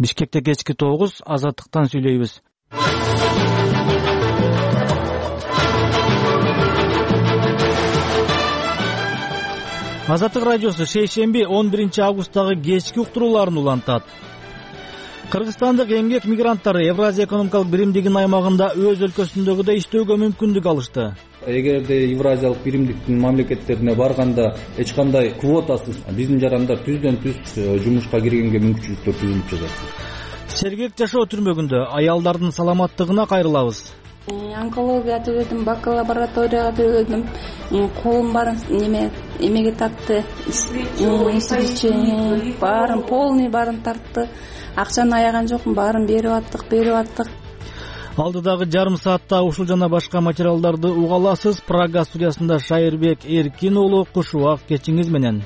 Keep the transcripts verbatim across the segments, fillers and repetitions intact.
Бишкекте кечки тогуз, Азаттыктан сүйлөйбүз. Азаттык радиосу шейшемби он биринчи августтагы кечки уктурууларын улантат. Кыргызстандык эмгек мигранттары Евразия экономикалык биримдигинин аймагында өз өлкөсүндөгүдөй иштөөгө мүмкүндүк алышты. Эгерде Евразиялык биримдиктин мамлекеттерине барганда эч кандай квотасыз биздин жарандар түздөн түз жумушка киргенге мүмкүнчүлүктөр түзүлүп жатат. Сергек жашоо түрмөгүндө аялдардын саламаттыгына кайрылабыз. Онкология түгөдүм, бакалавраторияга түгөдүм. Колум баарын неме эмеге тартты. Исибичи баарын полный баарын тартты. Акчаны аяган жокмун, баарын берип аттык, берип аттык. Алдыдагы жарым саатта ушул жана башка материалдарды уга аласыз. Прага студиясында Шайырбек Эркин уулу куш убак кечиңиз менен.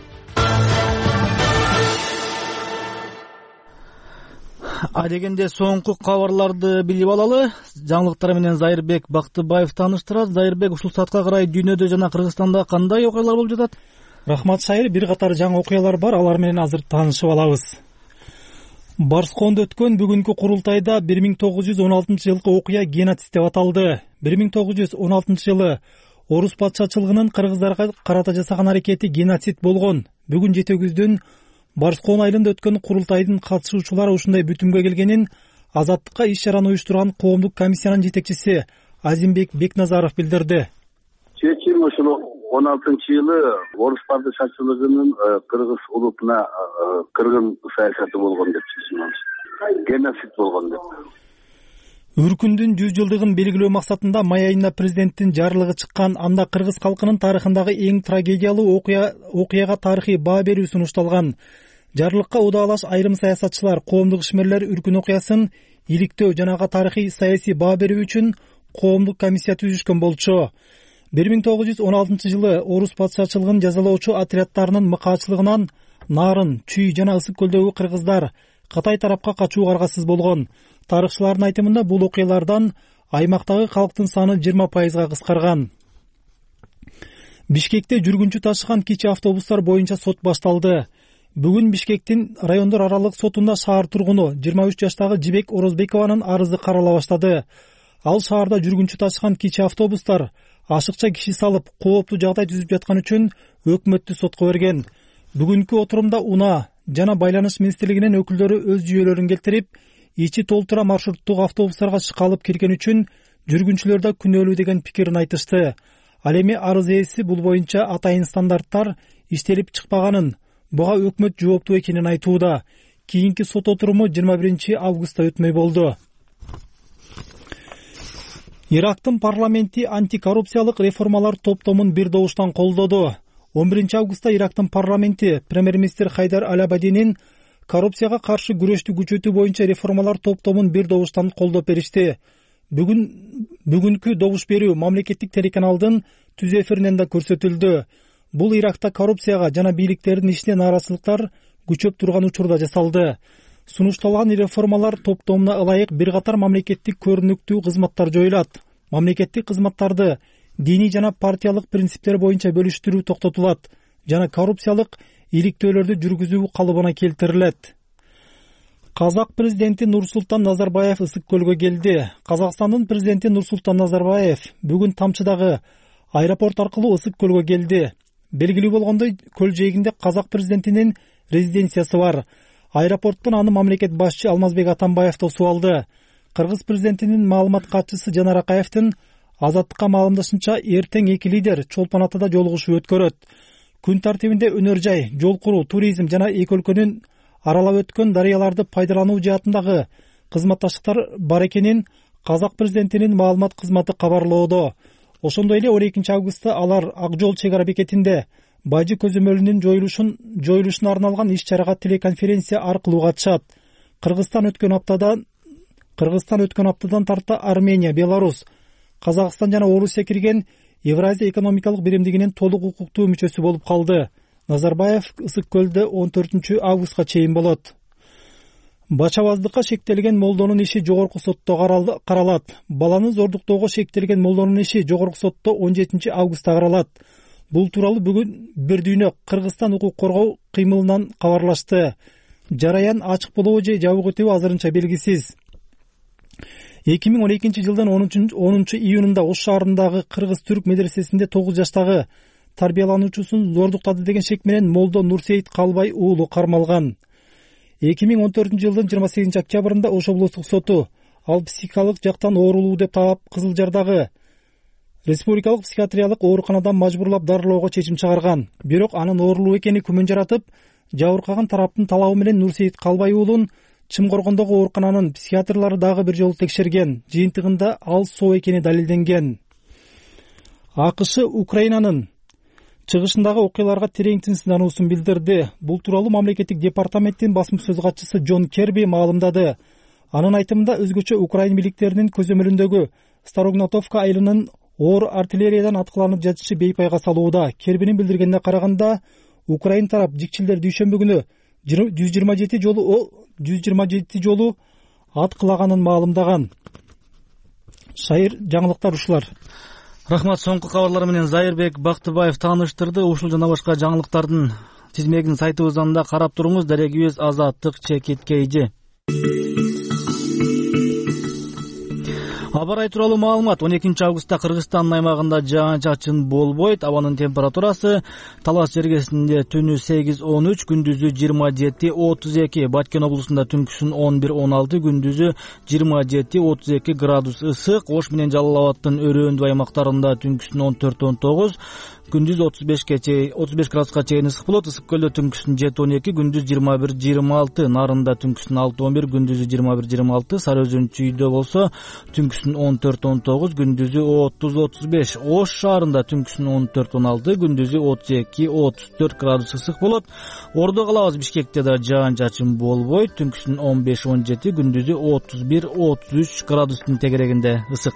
Адегенде соңку кабарларды билип алалы. Жаңылыктар менен Зайырбек Бактыбаев тааныштырат. Зайырбек, ушул саатка карай дүйнөдө жана Кыргызстанда кандай окуялар болуп жатат? Рахмат Шайыр, бир катар жаңы окуялар бар, алар менен азыр таанышып алабыз. Барскондо өткөн бүгүнкү курултайда бир миң тогуз жүз он алтынчы жылкы окуя геноцид деп аталды. бир миң тогуз жүз он алтынчы жылы орус патшачылыгынын кыргыздарга карата жасаган аракети геноцид болгон. Бүгүн жетегүздүн Барскон айылында өткөн курултайдын катышуучулары ушундай бүтүмгө келгенин Азаттыкка иш-чараны уюштурган коомдук комиссиянын жетекчиси Азимбек Бекназаров билдирди. Чечим ушул он алтынчы жылы орус падышачылыгынын кыргыз улутуна кыргын саясаты болгон деп чечимиз. Геноцид болгон деп. Үркүндүн жүз жылдыгын белгилөө максатында май айында президенттин жарлыгы чыккан, анда кыргыз калкынын тарыхындагы эң трагедиялуу окуя окуяга тарыхый баа берүү сунушталган. Жарлыкка удаалаш айрым саясатчылар коомдук ишмерлер Үркүн окуясын иликтөө жана ага тарыхый саясий баа берүү үчүн коомдук комиссия түзүшкөн болчу. бир миң тогуз жүз он алтынчы жылы орус патшачылыгын жазалоочу отрядтарынын мыкаачылыгынан Нарын, Чүй жана Ысык көлдөгү кыргыздар Кытай тарапка качууга аргасыз болгон. Тарыхчылардын айтымында бул окуялардан аймактагы калктын саны жыйырма пайызга кыскарган. Бишкекте жүргүнчү ташыган кичи автобустар боюнча сот башталды. Бүгүн Бишкектин райондор аралык сотунда шаар тургуну жыйырма үч жаштагы Жибек Орозбекованын арызы карала баштады. Ал шаарда жүргүнчү ташыган кичи автобустар ашыкча киши салып, кооптуу жагдай түзүп жаткан үчүн өкмөттү сотко берген. Бүгүнкү отурумда УНА жана Байланыш министрлигинин өкүлдөрү өз жүйөлөрүн келтирип, ичи толтура маршруттук автобустарга шыкалып кирген үчүн жүргүнчүлөрдө күнөөлүү деген пикирин айтышты. Ал эми арыз ээси бул боюнча атайын стандарттар иштелип чыкпаганын, буга өкмөт жооптуу экенин айтууда. Кийинки сот отуруму жыйырма биринчи августта өтмөй болду. Ирактын парламенти антикоррупциялык реформалар топтомун бир добуштан колдоду. он биринчи августта Ирактын парламенти премьер-министр Хайдар Аль-Абадинин коррупцияга каршы күрөштү күчөтүү боюнча реформалар топтомун бир добуштан колдоп беришти. Бүгүн бүгүнкү добуш берүү мамлекеттик телеканалдын түз эфиринен да көрсөтүлдү. Бул Иракта коррупцияга жана бийликтердин ишине нааразычылыктар күчөп турган учурда жасалды. Сунушталган реформалар топтомуна ылайык бир катар мамлекеттик көрүнүктүү кызматтар жоюлат. Мамлекеттик кызматтарды диний жана партиялык принциптер боюнча бөлүштүрүү токтотулат жана коррупциялык иликтөөлөрдү жүргүзүү калыбына келтирилет. Казак президенти Нурсултан Назарбаев Ысык көлгө келди. Казакстандын президенти Нурсултан Назарбаев бүгүн Тамчыдагы аэропорт аркылуу Ысык көлгө келди. Белгилүү болгондой, көл жээгинде казак президентинин резиденциясы бар. Аэропорттон аны мамлекет башчы Алмазбек Атамбаев тосуп алды. Кыргыз президентинин маалымат катчысы Жанар Акаевдин Азаттыкка маалымдашынча, эртең эки лидер Чолпон Атада жолугушуу өткөрөт. Күн тартибинде өнөр жай, жол куруу, туризм жана эки өлкөнүн аралап өткөн дарыяларды пайдалануу жаатындагы кызматташтыктар бар экенин казак президентинин маалымат кызматы кабарлоодо. Ошондой эле он экинчи августта алар Ак жол чек ара бекетинде Бажы көзөмөлүнүн жоюлушун жоюлушуна арналган иш-чарага телеконференция аркылуу катышат. Кыргызстан өткөн аптада Кыргызстан өткөн аптадан тарта Армения, Беларус, Казакстан жана Орусия кирген Евразия экономикалык биримдигинин толук укуктуу мүчөсү болуп калды. Назарбаев Ысык көлдө он төртүнчү августка чейин болот. Бачабаздыкка шектелген молдонун иши жогорку сотто каралат. Баланы зордуктоого шектелген молдонун иши жогорку сотто он жетинчи августта каралат. Бул тууралуу бүгүн Бир дүйнө Кыргызстан укук коргоо кыймылынан кабарлашты. Жараян ачык болобу же жабык өтөбү азырынча белгисиз. эки миң он экинчи жылдын онунчу июнунда Ош шаарындагы кыргыз-түрк медресесинде тогуз жаштагы тарбиялануучусун зордуктады деген шек менен молдо Нурсейит Калбай уулу кармалган. эки миң он төртүнчү жылдын жыйырма сегизинчи октябрында Ош облустук соту ал психикалык жактан оорулуу деп таап Кызыл Жардагы республикалык психиатриялык ооруканадан мажбурлап дарылоого чечим чыгарган. Бирок анын оорулуу экени күмөн жаратып, жабыркаган тараптын талабы менен Нурсейит Калбай уулун Чымкоргондогу оорукананын психиатрлары дагы бир жолу текшерген. Жыйынтыгында ал соо экени далилденген. АКШ Украинанын чыгышындагы окуяларга терең сынануусун билдирди. Бул тууралуу мамлекеттик департаменттин басма сөз катчысы Джон Керби маалымдады. Анын айтымында өзгөчө Украин бийликтеринин көзөмөлүндөгү Старогнатовка айылынын оор артиллериядан аткыланып жатышы бейпайга салууда. Кербинин билдиргенине караганда, Украин тарап жикчилдер дүйшөмбү күнү жүз жыйырма жети жолу жүз жыйырма жети жолу аткылаганын маалымдаган. Шайыр жаңылыктар ушулар. Рахмат. Соңку кабарлар менен Зайырбек Бактыбаев тааныштырды. Ушул жана башка жаңылыктардын тизмегин сайтыбыздан да карап туруңуз. Дарегибиз Азаттык Чекиткейжи. Аба ырайы тууралуу маалымат. он экинчи августта Кыргызстандын аймагында жаан-чачын болбойт. Абанын температурасы Талас жергесинде түнү сегиз он үч, күндүзү жыйырма жети отуз эки, Баткен облусунда түнкүсүн он бир он алты, күндүзү жыйырма жети отуз эки градус ысык. Ош менен Жалал Абаддын өрөөндүү аймактарында түнкүсүн он төрт он тогуз, күндүз отуз бешке чейин отуз беш градуска чейин ысык болот. Ысык көлдө түнкүсүн жети он эки, күндүз жыйырма бир жыйырма алты, Нарында түнкүсүн алты он бир, күндүзү жыйырма бир жыйырма алты, Сары Өзөн чүйдө болсо түнкүсүн он төрт он тогуз, күндүзү отуз отуз беш. Ош шаарында түнкүсүн он төрт он алты, күндүзү отуз эки отуз төрт градус ысык болот. Ордо калабыз Бишкекте да жаан-чачын болбойт. Түнкүсүн он беш он жети, күндүзү отуз бир отуз үч градустун тегерегинде ысык.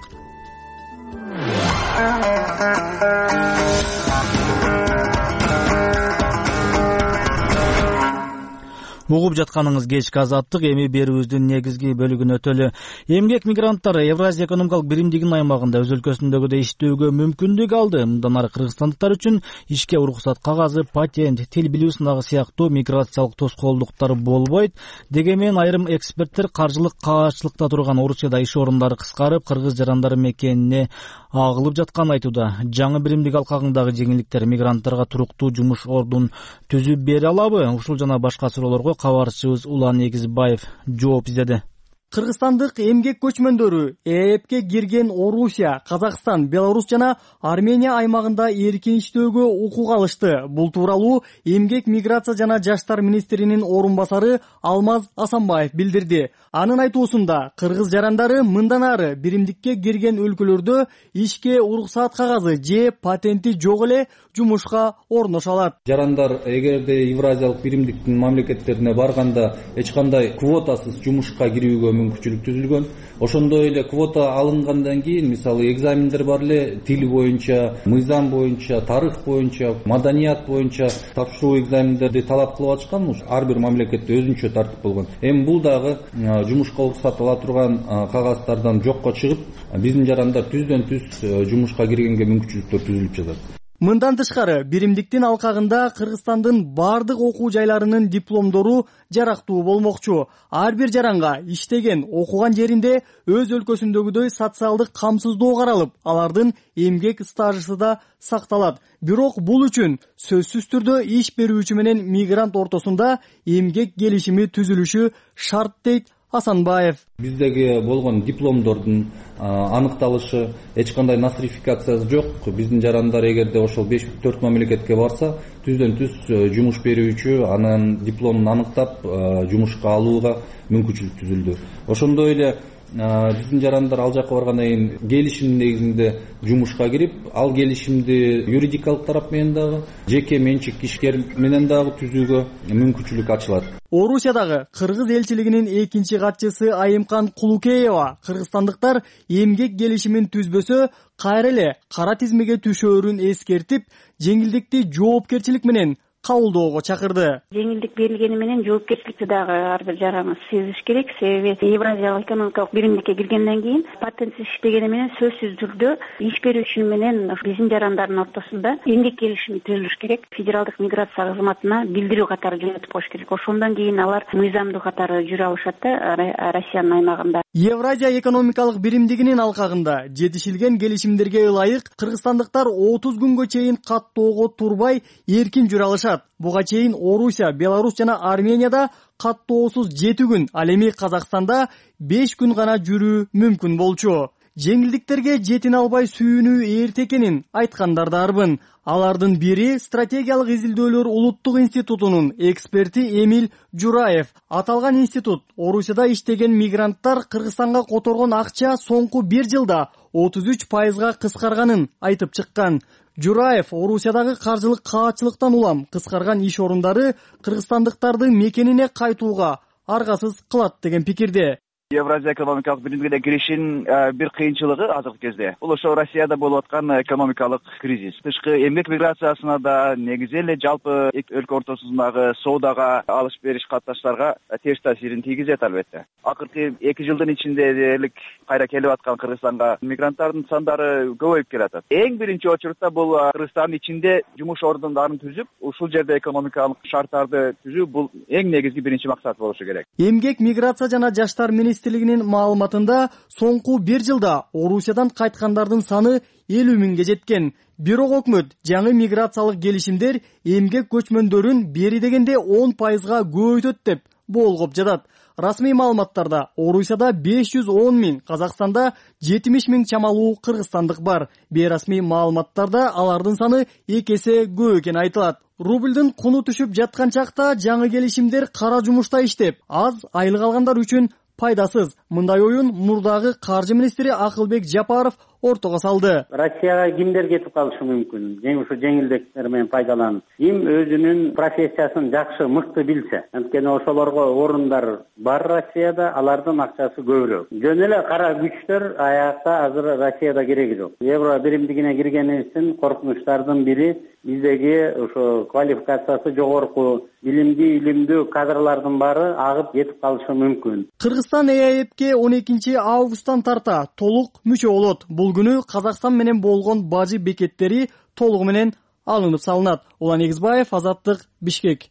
Угуп жатканыңыз кечки Азаттык. Эми берүүбүздүн негизги бөлүгүнө өтөлү. Эмгек мигранттары Евразия экономикалык биримдигинин аймагында өз өлкөсүндөгүдөй иштөөгө мүмкүндүк алды. Мындан ары кыргызстандыктар үчүн ишке уруксат кагазы, патент, тил билүү сынагы сыяктуу миграциялык тоскоолдуктар болбойт. Дегенмен айрым эксперттер каржылык каачылыкта турган Орусияда иш орундары кыскарып, кыргыз жарандары мекенине агылып жатканын айтууда. Жаңы биримдик алкагындагы жеңилдиктер мигранттарга туруктуу жумуш ордун түзүп бере алабы? Ушул жана башка суроолорго кабарчыбыз Улан Эгизбаев жооп издеди. Кыргызстандык эмгек көчмөндөрү ЭЭПке кирген Орусия, Казакстан, Беларусь жана Армения аймагында эркин иштөөгө укук алышты. Бул тууралуу эмгек, миграция жана жаштар министринин орун басары Алмаз Асанбаев билдирди. Анын айтуусунда, кыргыз жарандары мындан ары биримдикке кирген өлкөлөрдө ишке уруксаат кагазы же патенти жок эле жумушка орношо алат. Жарандар эгерде Евразиялык биримдиктин мамлекеттерине барганда эч кандай квотасыз жумушка кирүүгө мүмкүнчүлүк түзүлгөн. Ошондой эле квота алынгандан кийин, мисалы, экзамендер бар эле, тил боюнча, мыйзам боюнча, тарых боюнча, маданият боюнча тапшыруу экзамендерди талап кылып атышкан. Ар бир мамлекетте өзүнчө тартип болгон. Эми бул дагы жумушка уруксат ала турган кагаздардан жокко чыгып, биздин жарандар түздөн түз жумушка киргенге мүмкүнчүлүктөр түзүлүп жатат. Мындан тышкары, биримдиктин алкагында Кыргызстандын бардык окуу жайларынын дипломдору жарактуу болмокчу. Ар бир жаранга иштеген, окуган жеринде өз өлкөсүндөгүдөй социалдык камсыздоо каралып, алардын эмгек стажысы да сакталат. Бирок бул үчүн сөзсүз түрдө иш берүүчү менен мигрант ортосунда эмгек келишими түзүлүшү шарт дейт Асанбаев. Биздеги болгон дипломдордун аныкталышы, эч кандай насрификациясы жок. Биздин жарандар эгерде ошол беш төрт мамлекетке барса, түздөн түз жумуш берүүчү анын дипломун аныктап жумушка алууга мүмкүнчүлүк түзүлдү. Ошондой эле биздин жарандар ал жакка баргандан кийин келишим негизинде жумушка кирип, ал келишимди юридикалык тарап менен дагы, жеке менчик ишкер менен дагы түзүүгө мүмкүнчүлүк ачылат. Орусиядагы кыргыз элчилигинин экинчи катчысы Айымкан Кулукеева кыргызстандыктар эмгек келишимин түзбөсө кайра эле кара тизмеге түшөөрүн эскертип, жеңилдикти жоопкерчилик менен кабылдоого чакырды. Жеңилдик берилгени менен жоопкерчиликти дагы ар бир жараныбыз сезиш керек. Себеби Евразиялык экономикалык биримдикке киргенден кийин патентсиз иштегени менен сөзсүз түрдө иш берүүчү менен биздин жарандардын ортосунда эмгек келишими түзүлүш керек. Федералдык миграция кызматына билдирүү катары жөнөтүп коюш керек. Ошондон кийин алар мыйзамдуу катары жүрө алышат да Россиянын аймагында. Евразия экономикалык биримдигинин алкагында жетишилген келишимдерге ылайык кыргызстандыктар отуз күнгө чейин каттоого турбай эркин жүрө алышат. Буга чейин Орусия, Беларусь жана Арменияда каттоосуз жети күн, ал эми Казакстанда беш күн гана жүрүү мүмкүн болчу. Жеңилдиктерге жетине албай сүйүнүү эрте экенин айткандар да арбын. Алардын бири стратегиялык изилдөөлөр улуттук институтунун эксперти Эмиль Жураев. Аталган институт Орусияда иштеген мигранттар Кыргызстанга которгон акча соңку бир жылда отуз үч пайызга кыскарганын айтып чыккан. Жураев Орусиядагы каржылык каатчылыктан улам кыскарган иш орундары кыргызстандыктарды мекенине кайтууга аргасыз кылат деген пикирде. Евразия экономикалык биримдигине киришин бир кыйынчылыгы азыркы кезде бул ошо Россияда болуп аткан экономикалык кризис. Тышкы эмгек миграциясына да негизи эле жалпы өлкө ортосундагы соодага алыш бериш катташтарга терс таасирин тийгизет албетте. Акыркы эки жылдын ичинде дээрлик кайра келип аткан Кыргызстанга мигранттардын сандары көбөйүп келатат. Эң биринчи очурутта бул Кыргызстандын ичинде жумуш ордундарын түзүп, ушул жерде экономикалык шарттарды түзүү бул эң негизги биринчи максат болушу керек. Эмгек миграция жана жаштар министрлигинин маалыматында соңку бир жылда Орусиядан кайткандардын саны элүү миңге жеткен. Бирок өкмөт жаңы миграциялык келишимдер эмгек көчмөндөрүн бери дегенде он пайызга көбөйтөт деп болгоп жатат. Расмий маалыматтарда Орусияда беш жүз он миң, Казакстанда жетимиш миң чамалуу кыргызстандык бар. Бейрасмий маалыматтарда алардын саны эки эсе көп экени айтылат. Рубльдын куну түшүп жаткан чакта жаңы келишимдер кара жумушта иштеп, аз айлык алгандар үчүн пайдасыз. Мындай оюн мурдагы каржы министри Акылбек Жапаров ортого салды. Россияга кимдер кетип калышы мүмкүн? Жеңил ушу жеңилдиктер менен пайдаланып, ким өзүнүн профессиясын жакшы, мыкты билсе. Анткени ошолорго орундар бар Россияда, алардын акчасы көбүрөөк. Жөн эле кара күчтөр аякта азыр Россияда кереги жок. Евро биримдигине киргенибиздин коркунучтардын бири биздеги ошо квалификациясы жогорку, билимдүү, илимдүү кадрлардын баары агып кетип калышы мүмкүн. Кыргызстан Э А Эпке он экинчи августтан тарта толук мүчө болот. Бул күнү Казакстан менен болгон бажы бекеттери толугу менен алынып салынат. Улан Эгизбаев, Азаттык, Бишкек.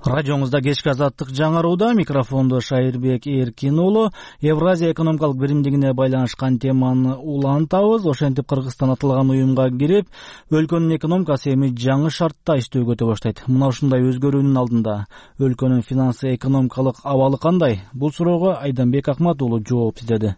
Радиоңузда кечки Азаттык жаңырууда, микрофондо Шайырбек Эркин уулу. Евразия экономикалык биримдигине байланышкан теманы улантабыз. Ошентип Кыргызстан аталган уюмга кирип, өлкөнүн экономикасы эми жаңы шартта иштөөгө өтө баштайт. Мына ушундай өзгөрүүнүн алдында өлкөнүн финансы экономикалык абалы кандай? Бул суроого Айданбек Акмат уулу жооп издеди.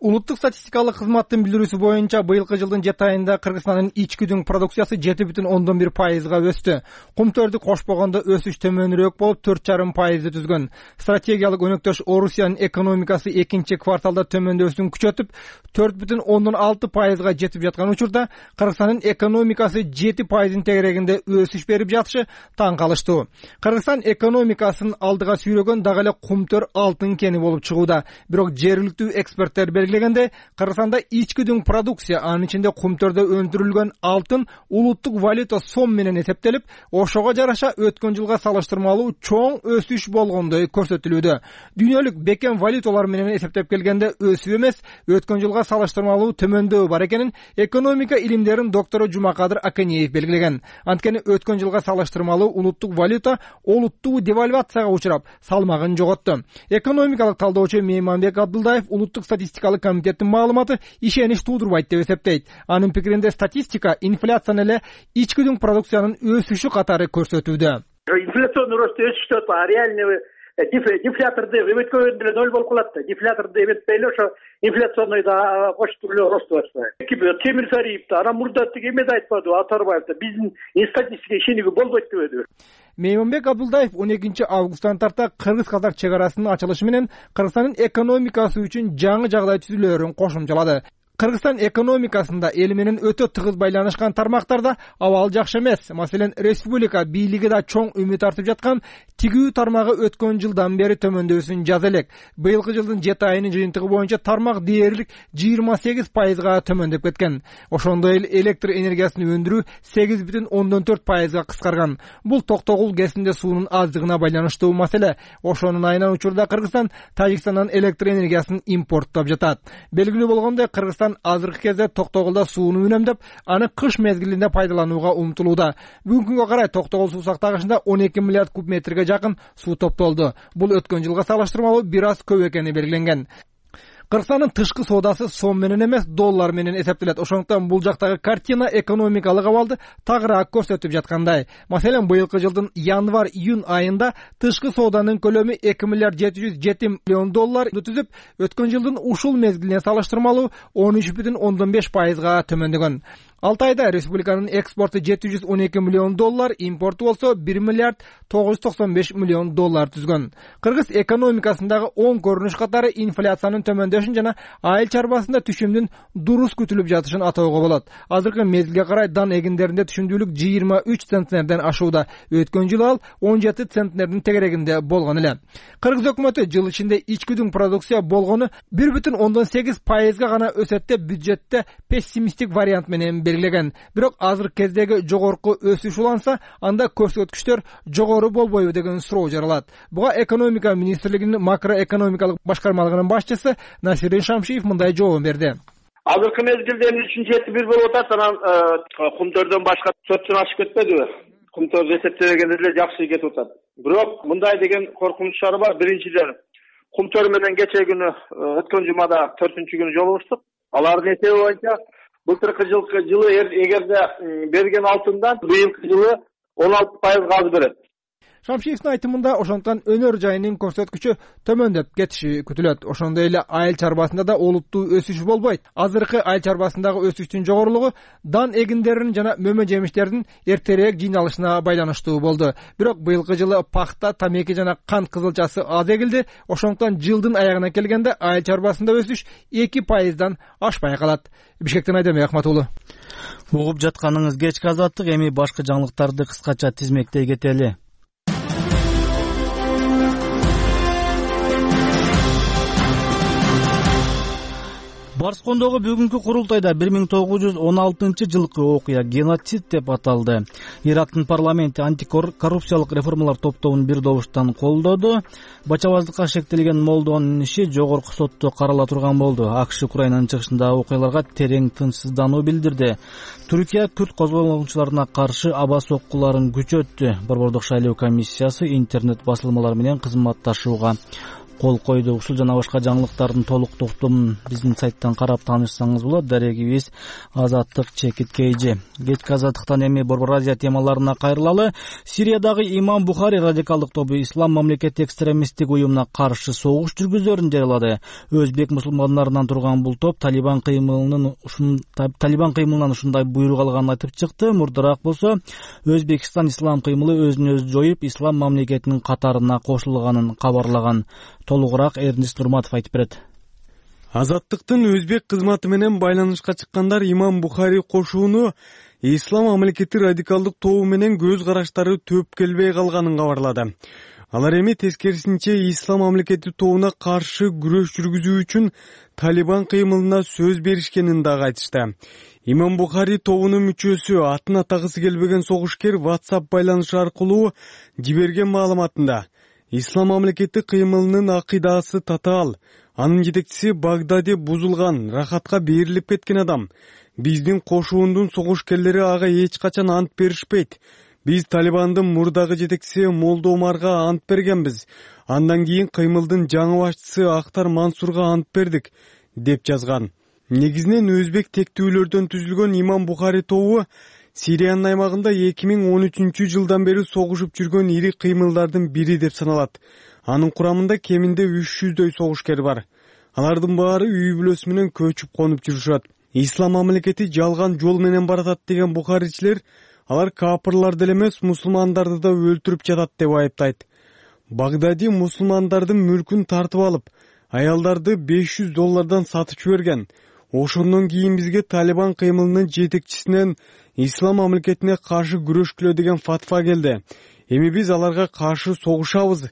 Улуттук статистикалык кызматтын билдирүүсү боюнча быйылкы жылдын жети айында Кыргызстандын ички дүң продукциясы жети бүтүн ондон бир пайызга өстү. Кумтөрдү кошпогондо өсүш төмөнүрөөк болуп төрт жарым пайызды түзгөн. Стратегиялык өнөктөш Орусиянын экономикасы экинчи кварталда төмөндөшүн күчөтүп, төрт бүтүн ондон алты пайызга жетип жаткан учурда Кыргызстандын экономикасы жети пайыздын тегерегинде өсүш берип жатышы таң калыштуу. Кыргызстан экономикасын алдыга сүйрөгөн дагы эле кумтөр алтын кени болуп чыгууда. Бирок жергиликтүү эксперттер белгилегенде, Кыргызстанда ички дүң продукция, анын ичинде кумтөрдө өндүрүлгөн алтын улуттук валюта сом менен эсептелип, ошого жараша өткөн жылга салыштырмалуу чоң өсүш болгондой көрсөтүлүүдө. Дүйнөлүк бекем валюталар менен эсептеп келгенде өсүү эмес, өткөн жылга салыштырмалуу төмөндөө бар экенин экономика илимдеринин доктору Жумакадыр Аканиев белгилеген. Анткени өткөн жылга салыштырмалуу улуттук валюта олуттуу девальвацияга учурап, салмагын жоготту. Экономикалык талдоочу Мейманбек Абдулдаев улуттук статистикалык комитеттин маалыматы ишенич туудурбайт деп эсептейт. Анын пикиринде статистика инфляцияны эле ички дүң продукциянын өсүшү катары көрсөтүүдө. Инфляционный рост өсүштө, а реальный дефляторду эметкөгөндө эле ноль болуп калат да. Дефляторду эметпей эле ошо инфляционный да кошуп эле рост баштайт. Темир Сариев да, анан мурда тиги эме да айтпады, Атарбаев да, биздин статистикага ишенүүгө болбойт дебеди. Мейманбек Абдулдаев он экинчи августтан тарта кыргыз-казак чек арасынын ачылышы менен Кыргызстандын экономикасы үчүн жаңы жагдай түзүлөөрүн кошумчалады. Кыргызстан экономикасында эл менен өтө тыгыз байланышкан тармактарда абал жакшы эмес. Маселен, республика бийлиги да чоң үмүт артып жаткан тигүү тармагы өткөн жылдан бери төмөндөсүн жаза элек. Быйылкы жылдын жети айынын жыйынтыгы боюнча тармак дээрлик жыйырма сегиз пайызга төмөндөп кеткен. Ошондой эле электр энергиясын өндүрүү сегиз бүтүн ондон төрт пайызга кыскарган. Бул Токтогул ГЭСинде суунун аздыгына байланыштуу маселе. Ошонун айынан учурда Кыргызстан Тажикстандан электр энергиясын импорттоп жатат. Белгилүү болгондой, Кыргызстан азыркы кезде Токтогулда сууну үнөмдөп, аны кыш мезгилинде пайдаланууга умтулууда. Бүгүнкү күнгө карай Токтогул суу сактагычында он эки миллиард куб метрге жакын суу топтолду. Бул өткөн жылга салыштырмалуу бир аз көп экени белгиленген. Кыргызстандын тышкы соодасы сом менен эмес, доллар менен эсептелет. Ошондуктан бул жактагы картина экономикалык абалды тагыраак көрсөтүп жаткандай. Маселен, быйылкы жылдын январь-июнь айында тышкы сооданын көлөмү эки миллиард жети жүз жети миллион доллар түзүп, өткөн жылдын ушул мезгилине салыштырмалуу он үч бүтүн ондон беш пайызга төмөндөгөн. алты айда республиканын экспорту жети жүз он эки миллион доллар, импорту болсо бир миллиард тогуз жүз токсон беш миллион доллар түзгөн. Кыргыз экономикасындагы оң көрүнүш катары инфляциянын төмөндөшүн жана айыл чарбасында түшүмдүн дурус күтүлүп жатышын атоого болот. Азыркы мезгилге карай дан эгиндеринде түшүмдүүлүк жыйырма үч центнерден ашууда. Өткөн жылы ал он жети центнердин тегерегинде болгон эле. Кыргыз өкмөтү жыл ичинде ичкүдүн продукция болгону бир бүтүн ондон сегиз пайызга гана өсөт деп бюджетте пессимисттик вариант менен белгилеген. Бирок азыркы кездеги жогорку өсүш уланса, анда көрсөткүчтөр жогору болбойбу деген суроо жаралат. Буга экономика министрлигинин макроэкономикалык башкармалыгынын башчысы Насирин Шамшиев мындай жооп берди. Азыркы мезгилде эмне үчүн жети бир болуп атат, анан кумтөрдөн башка төрттөн ашып кетпедиби? Кумтөр эсептегенде эле жакшы кетип атат. Бирок мындай деген коркунучтар бар. Биринчиден, кумтөр менен кече күнү өткөн жумада төртүнчү күнү жолугуштук. Алардын эсеби боюнча былтыркы жылкы жылы эгерде берген алтындан быйылкы жылы он алты пайызга аз берет. Шамшиевдин айтымында ошондуктан өнөр жайынын көрсөткүчү төмөндөп кетиши күтүлөт. Ошондой эле айыл чарбасында да олуттуу өсүш болбойт. Азыркы айыл чарбасындагы өсүштүн жогорулугу дан эгиндеринин жана мөмө жемиштердин эртерээк жыйналышына байланыштуу болду. Бирок быйылкы жылы пахта, тамеки жана кант кызылчасы аз эгилди. Ошондуктан жылдын аягына келгенде айыл чарбасында өсүш эки пайыздан ашпай калат. Бишкектен Айдембек Ахматуулу. Угуп жатканыңыз кечки азаттык, эми башкы жаңылыктарды кыскача тизмектей кетели. Барскондогу бүгүнкү курултайда бир миң тогуз жүз он алтынчы жылкы окуя геноцид деп аталды. Ирактын парламенти антикоррупциялык реформалар топтомун бир добуштан колдоду. Бачабаздыкка шектелген молдонун иши жогорку сотто карала турган болду. АКШ Украинанын чыгышындагы окуяларга терең тынчсыздануу билдирди. Түркия күрд козголгучуларына каршы аба соккуларын күчөттү. Борбордук шайлоо комиссиясы интернет басылмалар менен кызматташууга кол койду. Ушул жана башка жаңылыктардын толук топтомун биздин сайттан карап таанышсаңыз болот. Дарегибиз Азаттык чекит кейжи. Кечки азаттыктан эми Борбор Азия темаларына кайрылалы. Сириядагы Имам Бухари радикалдык тобу Ислам мамлекети экстремисттик уюмуна каршы согуш жүргүзөрүн жарыялады. Өзбек мусулмандарынан турган бул топ Талибан кыймылынын ушун Талибан кыймылынан ушундай буйрук алганын айтып чыкты. Мурдараак болсо Өзбекстан ислам кыймылы өзүн өзү жоюп, ислам мамлекетинин катарына кошулганын кабарлаган. Толугураак Эрнест Нурматов айтып берет. Азаттыктын өзбек кызматы менен байланышка чыккандар Имам Бухари кошууну ислам мамлекети радикалдык тобу менен көз караштары төп келбей калганын кабарлады. Алар эми тескерисинче ислам мамлекети тобуна каршы күрөш жүргүзүү үчүн Талибан кыймылына сөз беришкенин дагы айтышты. Имам Бухари тобунун мүчөсү, атын атагысы келбеген согушкер WhatsApp байланышы аркылуу жиберген маалыматында ислам мамлекети кыймылынын акыйдасы татаал, анын жетекчиси Багдади бузулган, рахатка берилип кеткен адам. Биздин кошуундун согушкерлери ага эч качан ант беришпейт. Биз Талибандын мурдагы жетекчиси Молдо Умарга ант бергенбиз. Андан кийин кыймылдын жаңы башчысы Актар Мансурга ант бердик, деп жазган. Негизинен өзбек тектүүлөрдөн түзүлгөн Имам Бухари тобу Сириянын аймагында эки миң он үчүнчү жылдан бери согушуп жүргөн ири кыймылдардын бири деп саналат. Анын курамында кеминде үч жүздөй согушкер бар. Алардын баары үй бүлөсү менен көчүп конуп жүрүшөт. Ислам мамлекети жалган жол менен баратат деген бухаричилер, алар капырлар деле эмес, мусулмандарды да өлтүрүп жатат деп айыптайт. Багдади мусулмандардын мүлкүн тартып алып, аялдарды беш жүз доллардан сатып жиберген. ошондон кийин бизге Талибан кыймылынын жетекчисинен ислам мамлекетине каршы күрөшкүлө деген фатва келди. Эми биз аларга каршы согушабыз,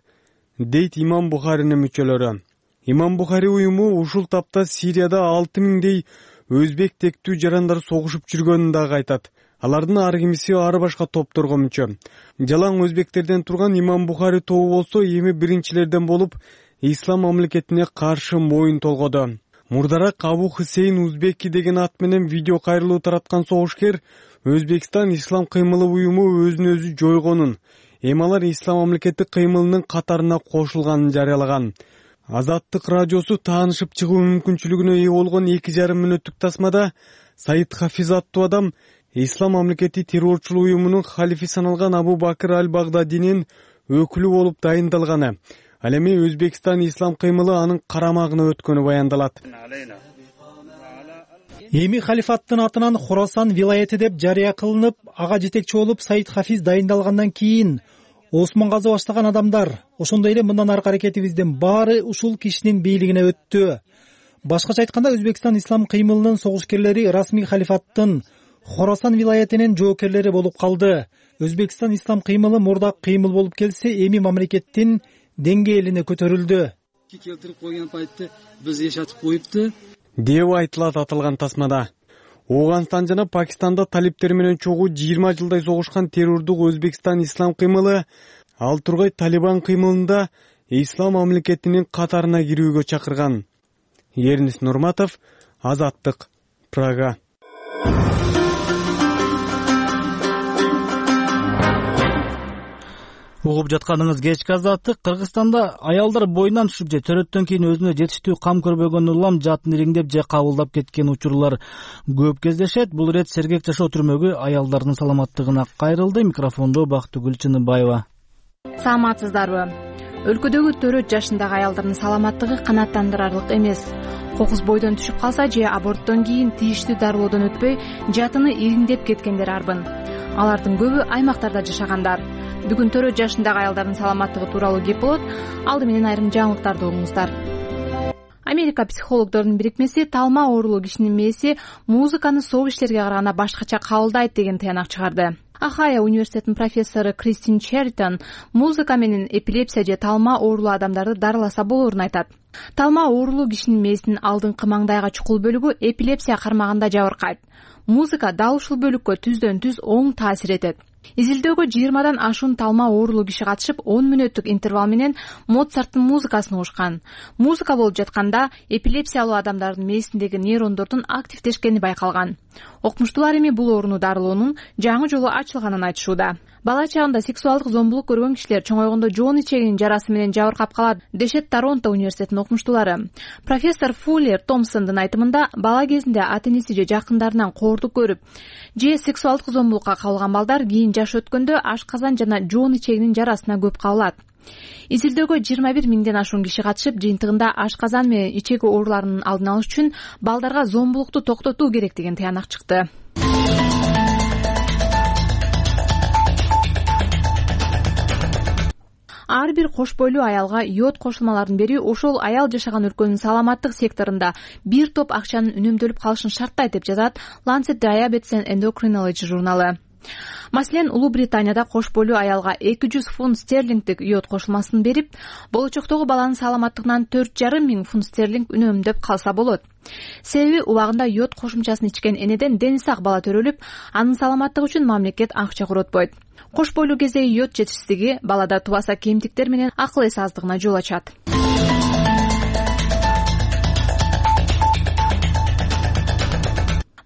дейт Имам Бухаринин мүчөлөрү. Имам Бухари уюму ушул тапта Сирияда алты миңдей өзбек тектүү жарандар согушуп жүргөнүн дагы айтат. Алардын ар кимиси ар башка топторго мүчө. Жалаң өзбектерден турган Имам Бухари тобу болсо эми биринчилерден болуп ислам мамлекетине каршы моюн толгоду. Мурдараак Абу Хусейн Узбеки деген ат менен видео кайрылуу тараткан согушкер Өзбекстан ислам кыймылы уюму өзүн өзү жойгонун, эми алар ислам мамлекети кыймылынын катарына кошулганын жарыялаган. Азаттык радиосу таанышып чыгуу мүмкүнчүлүгүнө ээ болгон эки жарым мүнөттүк тасмада Саид Хафиз аттуу адам ислам мамлекети террорчулук уюмунун халифи саналган Абу Бакыр аль-Багдадинин өкүлү болуп дайындалганы, ал эми Өзбекстан ислам кыймылы анын карамагына өткөнү баяндалат. Эми халифаттын атынан Хорасан вилаяты деп жарыя кылынып, ага жетекчи болуп Саид Хафиз дайындалгандан кийин Осмон каза баштаган адамдар, ошондой эле мындан аркы аракетибиздин баары ушул кишинин бийлигине өттү. Башкача айтканда, Өзбекстан ислам кыймылынын согушкерлери расмий халифаттын Хорасан вилаятынын жоокерлери болуп калды. Өзбекстан ислам кыймылы мурда кыймыл болуп келсе, эми мамлекеттин деңгээлине көтөрүлдү. Келтирип койгон пайтты биз жашатып коюпту деп айтылат аталган тасмада. Ооганстан жана Пакистанда талиптер менен чогуу жыйырма жылдай согушкан террордук Өзбекстан ислам кыймылы ал тургай Талибан кыймылында ислам мамлекетинин катарына кирүүгө чакырган. Ернис Нурматов, Азаттык, Прага. Угуп жатканыңыз кечки Азаттык. Кыргызстанда аялдар боюнан түшүп же төрөттөн кийин өзүнө жетиштүү кам көрбөгөн улам жатын ириңдеп же кабылдап кеткен учурлар көп кездешет. Бул ирет Сергек жашоо түрмөгү аялдардын саламаттыгына кайрылды. Микрофондо Бактыгүл Чыныбаева. Саламатсыздарбы? Өлкөдөгү төрт жашындагы аялдардын саламаттыгы канааттандырарлык эмес. Кокус бойдон түшүп калса же аборттон кийин тийиштүү дарылоодон өтпөй жатыны ириңдеп кеткендер арбын. Алардын көбү аймактарда жашагандар. Бүгүн төрт жашындагы аялдардын саламаттыгы тууралуу кеп болот. Алды менен айрым жаңылыктарды угуңуздар. Америка психологдордун бирикмеси талма оорулуу кишинин мээси музыканы соп иштерге караганда башкача кабылдайт деген тыянак чыгарды. Ахая университетинин профессору Кристин Чертон музыка менен эпилепсия же талма оорулуу адамдарды дарыласа болорун айтат. Талма оорулуу кишинин мээсинин алдыңкы маңдайга чукул бөлүгү эпилепсия кармаганда жабыркайт. Музыка дал ушул бөлүккө түздөн түз оң таасир этет. Изилдөөгө жыйырмадан ашуун талма оорулуу киши катышып, он мүнөттүк интервал менен Моцарттын музыкасын угушкан. Музыка болуп жатканда эпилепсиялуу адамдардын мээсиндеги нейрондордун активдешкени байкалган. Окумуштуулар эми бул ооруну дарылоонун жаңы жолу ачылганын айтышууда. Бала чагында сексуалдык зомбулук көргөн кишилер чоңойгондо жоон ичегинин жарасы менен жабыркап калат, дешет Торонто университетинин окумуштуулары. Профессор Фуллер Томпсондун айтымында, бала кезинде ата-энеси же жакындарынан коордук көрүп, же сексуалдык зомбулукка кабылган балдар кийин жаш өткөндө ашказан жана жоон ичегинин жарасына көп кабылат. Изилдөөгө жыйырма бир миңден ашуун киши катышып, жыйынтыгында ашказан менен ичеги ооруларынын алдын алыш үчүн балдарга зомбулукту токтотуу керек деген тыянак чыкты. Ар бир кош бойлуу аялга йод кошулмаларын берүү ошол аял жашаган өлкөнүн саламаттык секторунда бир топ акчанын үнөмдөлүп калышын шарттайт деп жазат Lancet Diabetes and Endocrinology журналы. Маселен, Улуу Британияда кош бойлуу аялга эки жүз фунт стерлингдик йод кошулмасын берип, болочоктогу баланын саламаттыгынан төрт жарым миң фунт стерлинг үнөмдөп калса болот. Себеби убагында йод кошумчасын ичкен энеден дени сак бала төрөлүп, анын саламаттыгы үчүн мамлекет акча коротпойт. Кош бойлуу кездеги йод жетишсиздиги балада тубаса кемтиктер менен акыл эс аздыгына жол ачат.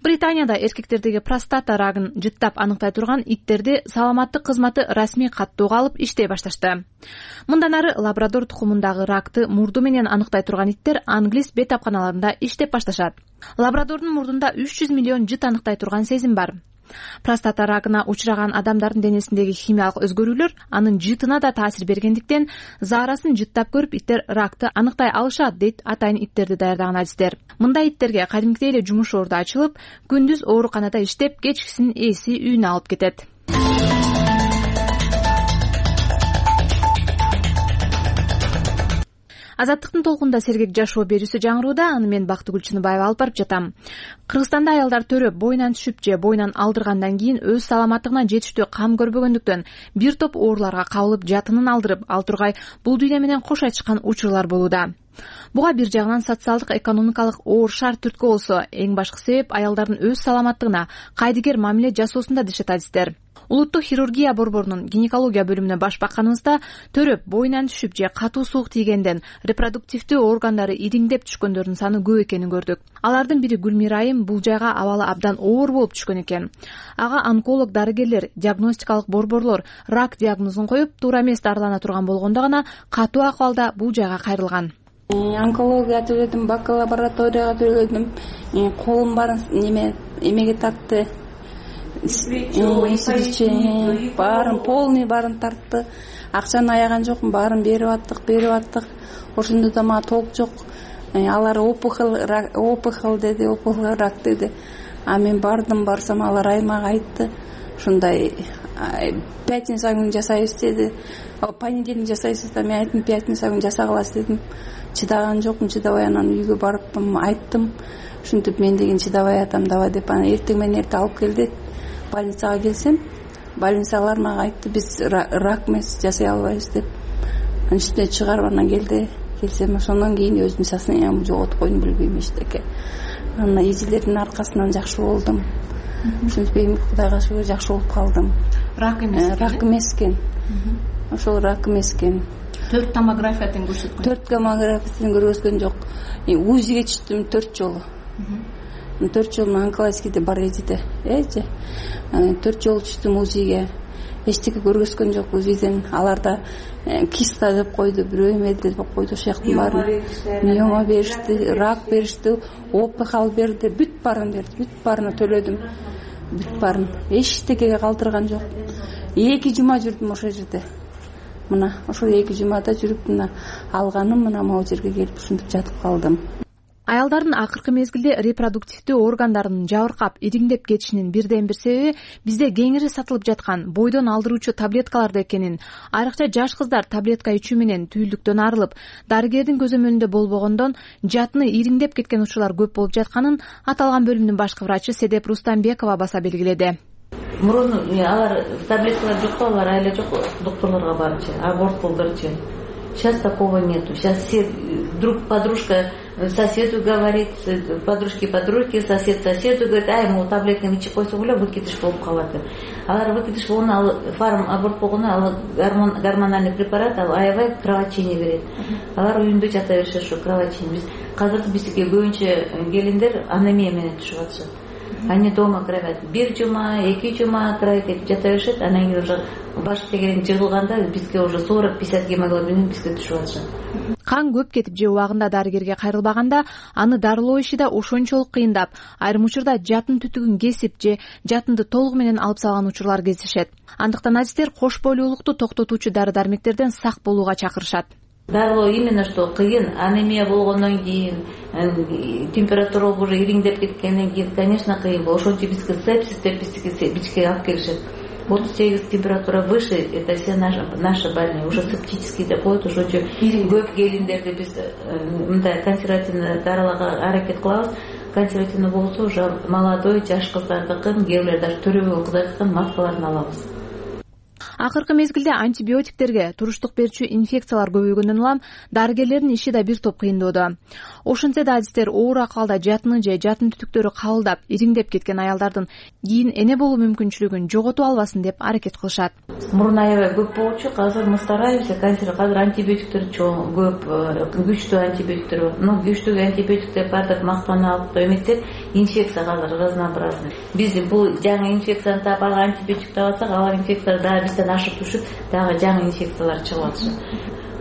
Британияда эркектердеги простата рагын жыттап аныктай турган иттерди саламаттык кызматы расмий каттоого алып иштей башташты. Мындан ары лабрадор тукумундагы ракты мурду менен аныктай турган иттер англис бет апканаларында иштеп башташат. Лабрадордун мурдунда үч жүз миллион жыт аныктай турган сезим бар. Простата рагына учураган адамдардын денесиндеги химиялык өзгөрүүлөр анын жытына да таасир бергендиктен заарасын жыттап көрүп иттер ракты аныктай алышат, дейт атайын иттерди даярдаган адистер. Мындай иттерге кадимкидей эле жумуш орду ачылып, күндүз ооруканада иштеп, кечкисин ээси үйүнө алып кетет. Азаттыктын толкунда сергек жашоо берүүсү жаңырууда. Аны мен Бактыгүл Чыныбаева алып барып жатам. Кыргызстанда аялдар төрөп боюнан түшүп же боюнан алдыргандан кийин өз саламаттыгына жетиштүү кам көрбөгөндүктөн бир топ ооруларга кабылып жатынын алдырып, ал тургай бул дүйнө менен кош айтышкан учурлар болууда. Буга бир жагынан социалдык, экономикалык оор шарт түрткү болсо, эң башкы себеп аялдардын өз саламаттыгына кайдыгер мамиле жасоосунда дешет адистер. Улуттук хирургия борборунун гинекология бөлүмүнө баш бакканыбызда төрөп боюнан түшүп же катуу суук тийгенден репродуктивдүү органдары ириңдеп түшкөндөрдүн саны көп экенин көрдүк. Алардын бири Гүлмира айым бул жайга абалы абдан оор болуп түшкөн экен. Ага онколог дарыгерлер, диагностикалык борборлор рак диагнозун коюп, туура эмес дарылана турган болгондо гана катуу акыбалда бул жайга кайрылган. Онкология төлөдүм, бакалавраторияга төлөдүм, колум баарын неме эмеге тартты. Баарын полный баарын тартты. Акчаны аяган жокмун, баарын берип аттык, берип аттык. Ошондо да мага толк жок. Алар опухоль, опухоль деди, опухоль рак деди. А мен бардым, барсам алар аймага айтты. Ушундай пятница күнү жасайбыз деди. Понедельник жасайсыз да, мен айттым пятница күнү жасагалас дедим. Чыдаган жокмун, чыдабай анан үйгө барып айттым. Ушинтип мен деген чыдабай атам давай деп, анан эртең менен эрте алып кел деп больницага келсем, больницалар мага айтты, биз рак эмес, жасай албайбыз деп. Анан үстүнө чыгарып анан келди. Келсем, ошондон кийин өзүмдүн сознаниямды жоготуп койдум, билбейм эчтеке. Анан изилердин аркасынан жакшы болдум. Ушинтип эми Кудайга шүгүр жакшы болуп калдым. Рак эмес. Рак эмес экен. Ошол рак эмес экен. Төрт томографиядан көрсөткөн. Төрт томографиядан көргөзгөн жок. УЗИге түштүм төрт жолу. Төрт жолу онкологияда бар эдиде. Эже. Төрт жолу түштүм УЗИге. Эчтеке көргөзгөн жок УЗИден. Аларда киста деп койду, бирөө эме деп койду, ошяктын баарын. Миома беришти, рак беришти, опухоль берди, бүт баарын берди, бүт баарына төлөдүм. Бүт баарын. Эчтекеге калтырган жок. Эки жума жүрдүм ошол жерде. Мына ошол эки жумада жүрүп мына алганым мына могу жерге келип ушинтип жатып калдым. Аялдардын акыркы мезгилде репродуктивдүү органдарынын жабыркап, ириңдеп кетишинин бирден бир себеби бизде кеңири сатылып жаткан бойдон алдыруучу таблеткаларда экенин, айрыкча жаш кыздар таблетка ичүү менен түйүлдүктөн арылып, дарыгердин көзөмөлүндө болбогондон жатыны ириңдеп кеткен учурлар көп болуп жатканын аталган бөлүмдүн башкы врачы Седеп Рустамбекова баса белгиледи. Мурун алар таблеткалар жок, алар айла жок, докторлорго барчы, аборт кылдырчы. Сейчас такого нету. Сейчас все друг подружка соседу говорит, подружки подружки, сосед соседу говорит, ай, мол таблетканы ичип койсо эле выкидыш болуп калат деп. Алар выкидыш болгону, ал фарм аборт болгону, ал гормон гормональный препарат, ал аябай кровотечение берет. Алар үйүндө жата беришет ушу кровотечение. Биз азыр бизге көбүнчө келиндер анемия менен түшүп атышат. Они дома кровят бир жума, эки жума кровать этип жата беришет, анан кийин уже баш тегерен жыгылганда бизге уже сорок пятьдесят гемоглобин бизге түшүп атышат. Кан көп кетип же убагында дарыгерге кайрылбаганда аны дарылоо иши да ошончолук кыйындап, айрым учурда жатын түтүгүн кесип же жатынды толугу менен алып салган учурлар кездешет. Андыктан адистер кош бойлуулукту токтотуучу дары-дармектерден сак болууга чакырышат. Дарылоо именно что кыйын, анемия болгондон кийин, температура уже ириңдеп кеткенден кийин, конечно, кыйын. Ошон үчүн бизге сепсис деп бизге алып келишет. отуз сегиз температура выше, это все наши, наши больные, уже септический деп коет, ошон үчүн көп келиндерди биз мындай консервативный дарыларга аракет кылабыз. Консервативный болсо уже молодой, жаш кыздардыкын, кээбилер даже төрөбөгөн кыздардыкын маскаларын алабыз. Акыркы мезгилде антибиотиктерге, туруштук берүүчү инфекциялар көбөйгөндөн улам дарыгерлердин иши да бир топ кыйындоодо. Ошентсе да адистер оор акыбалда жатыны же жатын түтүктөрү кабылдап, ириңдеп кеткен аялдардын кийин эне болуу мүмкүнчүлүгүн жоготуп албасын деп аракет кылышат. Мурун аябай көп болчу, азыр мы стараемся, азыр антибиотиктер чоң, көп, күчтүү антибиотиктер. Ну, күчтүү антибиотиктер бар деп мактанып эметсек, инфекция азыр разнообразный. Биз бул жаңы инфекцияны таап антибиотик таап атсак, алар инфекция да бизден ашып түшүп, дагы жаңы инфекциялар чыгып атышат.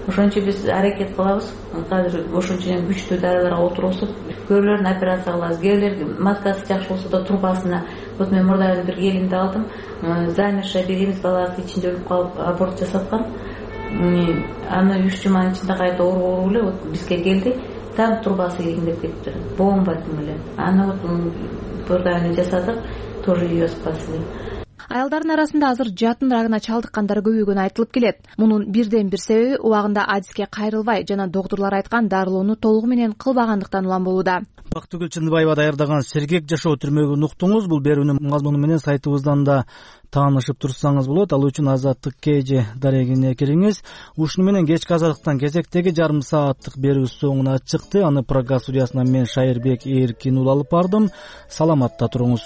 Ошон үчүн биз аракет кылабыз. Азыр ошон үчүн күчтүү дарыларга отурусуп, көбүлөрүн операция кылабыз. Кээбилер маскасы жакшы болсо да трубасына. Вот мен мурда бир келинди алдым, замершая беременность баласы ичинде өлүп калып аборт жасаткан. Аны үч жуманын ичинде кайта ооруп эле вот бизге келди. Там трубасы ириңдеп кетти. Бомба менен. Аны вот мурда жасадык, тоже ее спасли. аялдардын арасында азыр жатын рагына чалдыккандар көбөйгөнү айтылып келет. Мунун бирден бир себеби убагында адиске кайрылбай жана доктурлар айткан дарылоону толугу менен кылбагандыктан улам болууда. Бактыгүл Чындыбаева даярдаган «Сергек жашоо» түрмөгүн уктуңуз. Бул берүүнүн мазмуну менен сайтыбыздан да таанышып турсаңыз болот. Ал үчүн Азаттык Кж дарегине кириңиз. Ушуну менен кечки азаттыктан кезектеги жарым сааттык берүү соңуна чыкты. Аны программа студиясынан мен Шайырбек Эркин уулу алып бардым. Саламатта туруңуз.